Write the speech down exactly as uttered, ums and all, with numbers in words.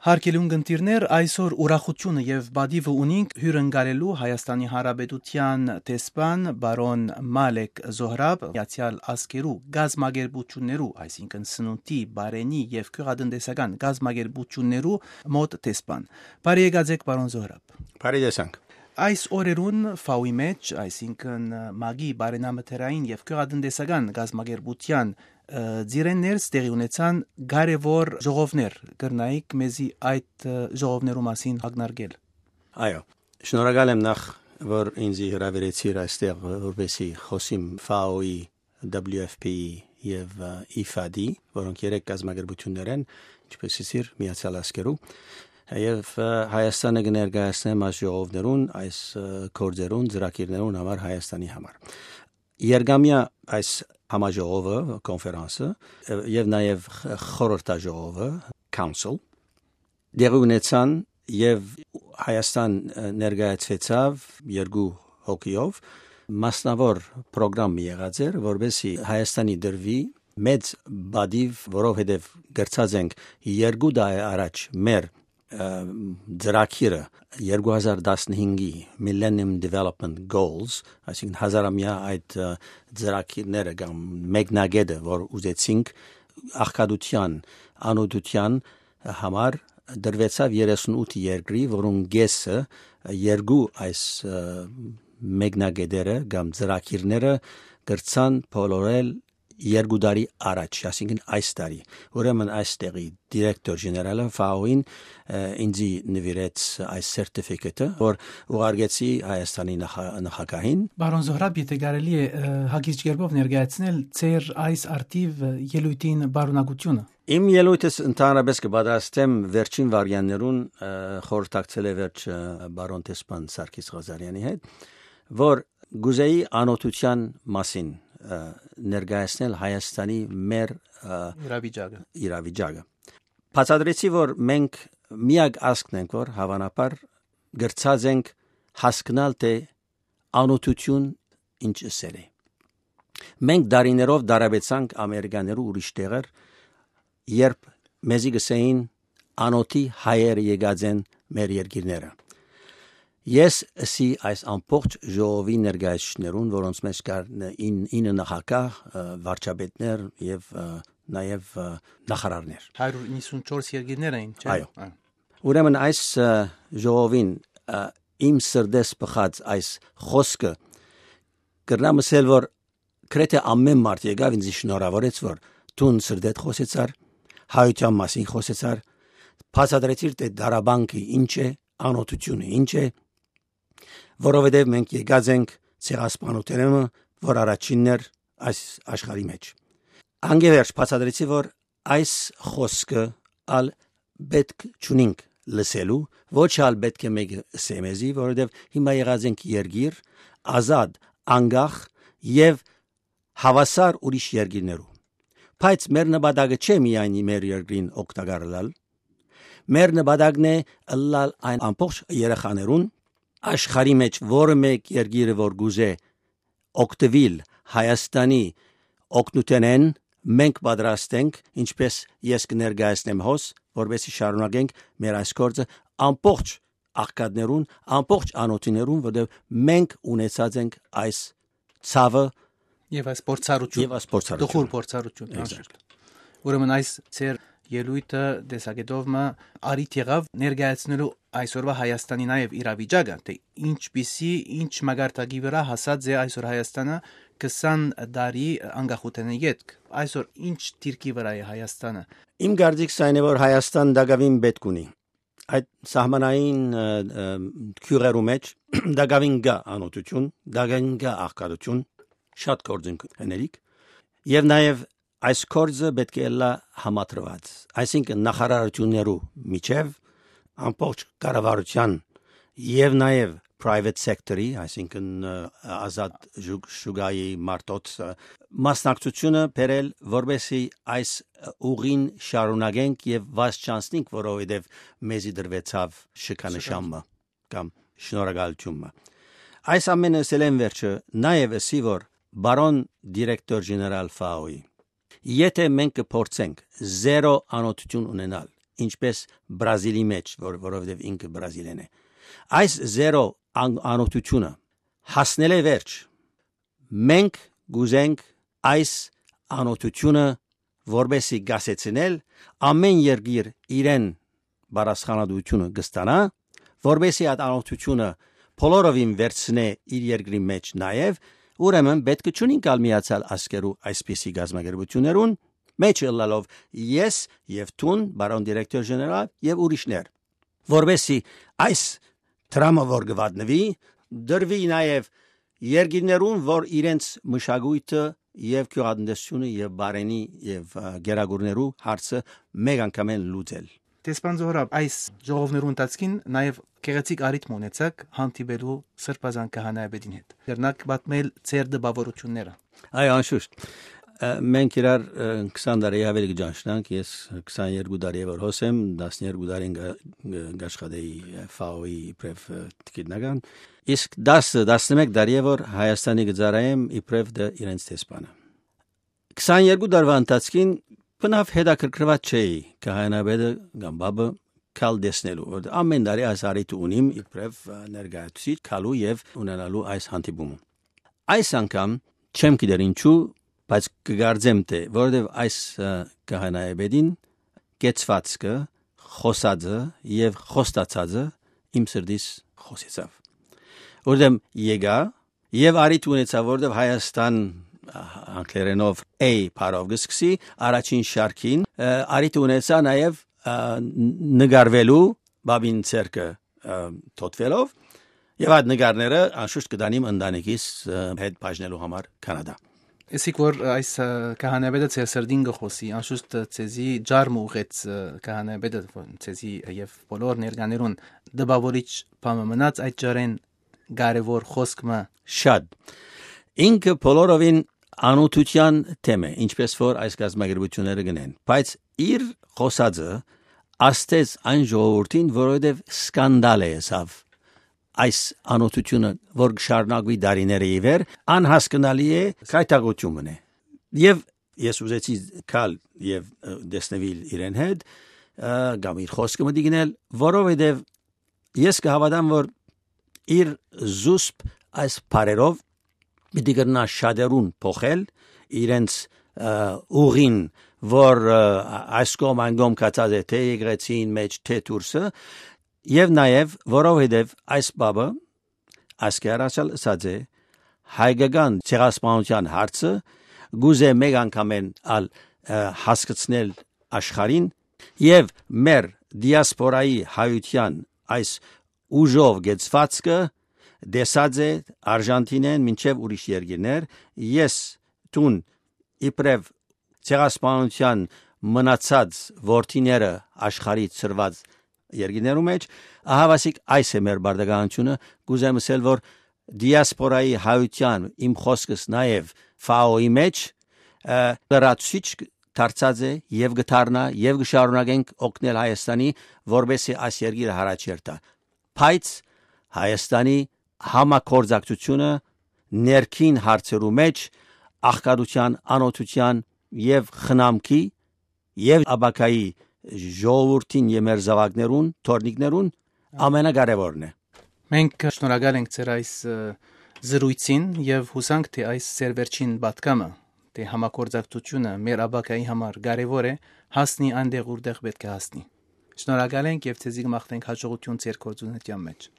Հարգելի ունգընտիրներ, այսօր ուրախութիւնը եւ պատիւը ունինք հիւրընկալելու Հայաստանի Հանրապետութեան դեսպան պարոն Մալեք Զոհրաբ, Միացեալ Ազգերու կազմակերպութիւններու, այսինքն՝ սնունդի, պարենի եւ գիւղատնտեսական կազմակերպութիւններու մօտ դեսպան։ Բարի եկած եք, պարոն Զոհրաբ։ Բարի տեսանք։ Այս օրերուն Ֆաուի մէջ, այսինքն՝ մագի պարենամթերային եւ գիւղատնտեսական կազմակերպութեան, ը, ծիրէն ներս տեղի ունեցան կարեւոր ժողովներ։ Կրնայիք մեզի այդ, ը, ժողովներու մասին ակնարկել։ Այո, շնորհակալ եմ նախ, որ ինձի հրավիրեցիր այստեղ, որպեսզի խօսիմ Ֆաուի, W F P-ի եւ, ը, I F A D-ի, որոնք երեք կազմակերպութիւններ են, ինչպես ըսիր, Միացեալ Ազգերու, եւ, ը, Հայաստանը կը ներկայացնեմ այս ժողովներուն, այս, ը, գործերուն, ծրագիրներուն համար, Հայաստանի համար։ Երկամեայ այս համաժողովը, կոնֆերանսը, ը, եւ նաեւ խ-, խորհրդաժողովը, council, տեղի ունեցան եւ Հայաստան, ը, ներկայացուեցաւ երկու հոգիով, մասնաւոր պրոգրամ եղած էր, որպեսզի Հայաստանի դրուի մեծ պատիւ, որովհետեւ կրցած ենք երկու տարի առաջ մեր, ը, ծրագիրը երկու հազար տասնհինգի Millennium Development Goals, այսինքն՝ հազարամեայ այդ, ը, ծրագիրները կամ մեկնակետը, որ ուզեցինք աղքատութեան, անօթութեան համար, դրուեցաւ երեսունութ երկրի, որուն կէսը երկու այս, ը, մեկնակետերը կամ ծրագիրները կրցան բոլորել երկու տարի առաջ, այսինքն՝ այս տարի։ Ուրեմն այստեղի դիրեկտոր ժեներալը Ֆաուին, ը, ինձի նուիրեց այս սերտիֆիկատը, որ ուղարկեցի Հայաստանի նախա-, նախագահին։ Պարոն Զոհրաբ, եթէ կարելի է, ը, հակիրճ կերպով ներկայացնել ձեր այս արդիվ, ը, ելոյթին պարունակությունը։ Իմ ելոյթս ընդհանրապես կը պատրաստեմ վերջին վարյաններուն, ը, խորհրդակցելէ վերջ, ը, պարոն դեսպան Սարգիս Ղազարեանի հետ, որ կուզեի անօթութեան մասին, ը, ներկայացնել Հայաստանի մեր, ը, իրավիճակը։ Իրավիճակը։ Բացատրեցի, որ մենք միակ ազգն ենք, որ, հավանաբար, կրցած ենք հասկնալ, թե անօթութիւն ինչ ըսել է։ Մենք դարիներով դարաբեցանք Ամերիկաներու ուրիշ տեղեր, երբ մեզի կ'ըսէին, անօթի հայերը եկած են մեր երկիրները։ Ես ըսի այս ամբողջ ժողովի ներկայացուցիչներուն, որոնց մէջ կար ն-, ին-, ինը նախագահ, ը, վարչապետներ եւ, ը, նաեւ, ը, նախարարներ։ Հարիւր իննսունչորս երկիրներ էին, չէ՞։ Այո։ Այո։ Ուրեմն այս, ը, ժողովին, ը, իմ սրտես բխած այս խօսքը, կրնամ ըսել, որ գրեթէ ամէն մարդ եկաւ ինձ շնորհաւորեց, որ դուն սրտեդ խօսեցար, հայութեան մասին խօսեցար, բացատրեցիր, թէ դարաբանկը ինչ է, անօթութիւնը ինչ է, որովհետեւ մենք եկած ենք ցեղասպանութենէն, որ առաջինն էր այս աշխարհի մէջ։ Անկէ վերջ բացատրեցի, որ այս խօսքը ալ պէտք չունինք լսելու, ոչ ալ պէտք է մեկը ըսէ մեզի, որովհետեւ հիմա եղած ենք երկիր, ազատ, անկախ եւ հաւասար ուրիշ երկիրներու։ Բայց մեր նպատակը չէ միայն մեր երկրին օգտակար ըլլալ։ Մեր նպատակն է ըլլալ այն ամբողջ երեխաներուն, աշխարհի մէջ որը մէկ երկիրը որ կուզէ օգտուիլ Հայաստանի օգնութենէն, մենք պատրաստ ենք, ինչպես ես կը ներկայացնեմ հոս, որպեսզի շարունակենք մեր այս գործը ամբողջ աղքատներուն, ամբողջ անօթիներուն, որտեղ մենք ունեցած ենք այս ցաւը Եւ այս փորձառութիւն, եւ այս փորձառութիւնը։ Տխուր փորձառութիուն, Exact. անշուշտ։ Ուրեմն այս ձեր ելոյթը տեսակետով մը առիթ եղաւ ներկայացնելու այսօրվա Հայաստանի նաեւ իրավիճակը, թէ ինչպիսի, ինչ մակարդակի վրա հասած է այսօր Հայաստանը քսան տարի անկախութենէ ետք։ Այսօր ինչ դիրքի վրա է Հայաստանը։ Իմ կարծիքս այն է, որ Հայաստան տակաւին պէտք ունի։ Այդ սահմանային, ը, ը, գիւղերու մէջ տակաւին կայ անօթութիւն, տակաւին կայ աղքատութիւն, շատ գործ ենք ընելիք։ Եւ նաեւ այս գործը պէտք է ըլլայ համադրուած, այսինքն նախարարութիւններու միջեւ, ամբողջ կառավարութեան եւ նաեւ private sector-ի, այսինքն, ը, ազատ ժուգ-, շուկայի մարդոց, ը, մասնակցությունը բերել, որպեսզի այս ուղին շարունակենք եւ վազ չանցնենք, որովհետեւ մեզի դրուեցաւ շքանշան մը կամ շնորհակալութիւն մը։ Այս ամենը ըսելէն վերջը նաեւ ըսի, որ պարոն դիրեկտոր ժեներալ Ֆաուի, եթե մենք կփորձենք զերո անօթութիւն ունենալ ինչպես Բրազիլի մէջ, որ, որովհետեւ ինքը բրազիլեն է։ Այս զերո ան-, անօթութիւնը հասնել է վերջ։ Մենք կ'ուզենք այս անօթութիւնը որպեսզի կասեցնել, ամէն երկիր իրեն պատասխանատուությունը կստանայ, որպեսզի այդ անօթութիւնը բոլորովին վերցնէ իր երկրի մէջ նաեւ, ուրեմն պէտք չունի գալ Միացեալ Ազգերու այսպիսի կազմակերպութիւններուն մէջ ըլլալով ես եւ դուն, պարոն դիրեկտոր ժեներալ, եւ ուրիշներ, որպեսզի այս դրամը, որ կը վատնուի, դրուի նաեւ երկիրներուն, որ իրենց մշակոյթը եւ գիւղատնտեսութիւնը եւ բարենի եւ, ա, գերագուրներու հարցը մէկ անգամէն լուծել։ Դեսպան Զոհրաբ, այս ժողովներու ընթացքին նաեւ գեղեցիկ առիթ մը ունեցաք հանդիպելու Սրբազան քահանայապետին հետ։ Կրնաք պատմել ձեր տպաւորութիւնները։ Այո, անշուշտ։ Ա, մենք իրար, ա, քսան տարի աւելի կը ճանչնանք, ես քսաներկու տարի է որ հոս եմ, տասներկու տարին կա-, կաշխատեի, ա, Ֆաոյի իբրեւ, ա, գիտնական։ Իսկ տասը, տասնմէկ տարի է որ Հայաստանի կը ծառայեմ իբրեւ դը իրենց դեսպանը։ Քսաներկու տարվա ընթացքին բնաւ հետաքրքրուած չէի քահանայապետը կամ պապը գալ տեսնելու, որ ամէն տարի այս առիթը ունիմ իբրեւ, ա, ներկայացուցիչ գալու եւ ունենալու այս հանդիպումը։ Այս անգամ չեմ գիտեր ինչու, բայց կկարծեմ թէ որովհետեւ այս, ա, քահանայապետին կեցվածքը, խոսածը եւ խոստացածը իմ սրտիս խօսեցաւ։ Որովհետեւ եկայ եւ առիթ ունեցայ, որովհետեւ Հայաստան, ա, անգլերենով A բառով կը սկսի, առաջին շարքին, ա, առիթ ունեցայ նաեւ, ա, ն-, նկարվելու պապին ձեռքը, ա, թօթվելով, եւ այդ նկարները անշուշտ կտանիմ ընտանիքիս, ա, հետ բաժնելու համար Կանադա։ Իսկ որ այս, ա, քահանայապետը ձեր սրտին կը խօսի, անշուշտ, ա, ձեզի ջար մը ուղղեց, ա, քահանայապետը, որ ձեզի եւ բոլոր ներկաներուն տպաւորիչ բան մը մնաց այդ ջարէն կարեւոր խօսք մը։ Շատ։ Ինքը բոլորովին անօթութեան թեմ է, ինչպես որ այս կազմակերպութիւնները կ'ընեն, բայց իր խօսածը աստեց այն ժողովուրդին, որովհետեւ սկանդալ է եսաւ այս անօթութիւնը, որ կշարունակուի դարիները ի վեր, անհասկնալի է, քայթակղութիւն մըն է։ Եւ ես ուզեցի գալ եւ, ը, տեսնուիլ իրեն հետ, ը, կամ իր խօսքը մտի գնել, որովհետեւ ես կը հաւատամ, որ իր զուսպ այս բառերով պիտի կրնայ շատերուն փոխել իրենց, ը, ուղին, որ, ը, այս կողմ այն կողմ գացած է, թէ եկեղեցին մէջ, թէ դուրսը, եւ նաեւ որովհետեւ այս պապը, այսքան առաջ ալ ըսած է, հայկական ցեղասպանութեան հարցը կ'ուզէ մէկ անգամէն ալ, ը, հասկցնել աշխարհին եւ մեր դիասպորայի հայութեան այս ուժով կեցվածքը տեսած է Արժանթինէն մինչեւ ուրիշ երկիրներ։ Ես դուն իբրեւ ցեղասպանութեան մնացած որդիները աշխարհի ցրված երկիրներու մէջ, ահավասիկ այս է մեր բարդականությունը, կ'ուզեմ ըսել, որ դիասպորայի հայութեան իմ խօսքս նաեւ Ֆաոյի մէջ, ը, լրացուցիչ դարձած է եւ կը դառնայ եւ կը շարունակենք օգնել Հայաստանի, որպեսզի այս երկիրը յառաջ երթայ։ Բայց Հայաստանի համագործակցությունը ներքին հարցերու մէջ աղքատութեան, անօթութեան եւ խնամքի եւ ապագայի ժողովուրդին եւ մեր զաւակներուն, թոռնիկներուն ամենակարեւորն է։ Մենք շնորհակալ ենք ձեր այս, ը, զրույցին եւ յուսանք, թէ այս ձեր վերջին պատգամը, թէ համագործակցությունը մեր ապագայի համար կարեւոր է, հասնի այնտեղ, ուրտեղ պէտք է հասնի։ Շնորհակալ ենք եւ ձեզի կը մաղթենք յաջողութիւն ձեր գործունեության մէջ։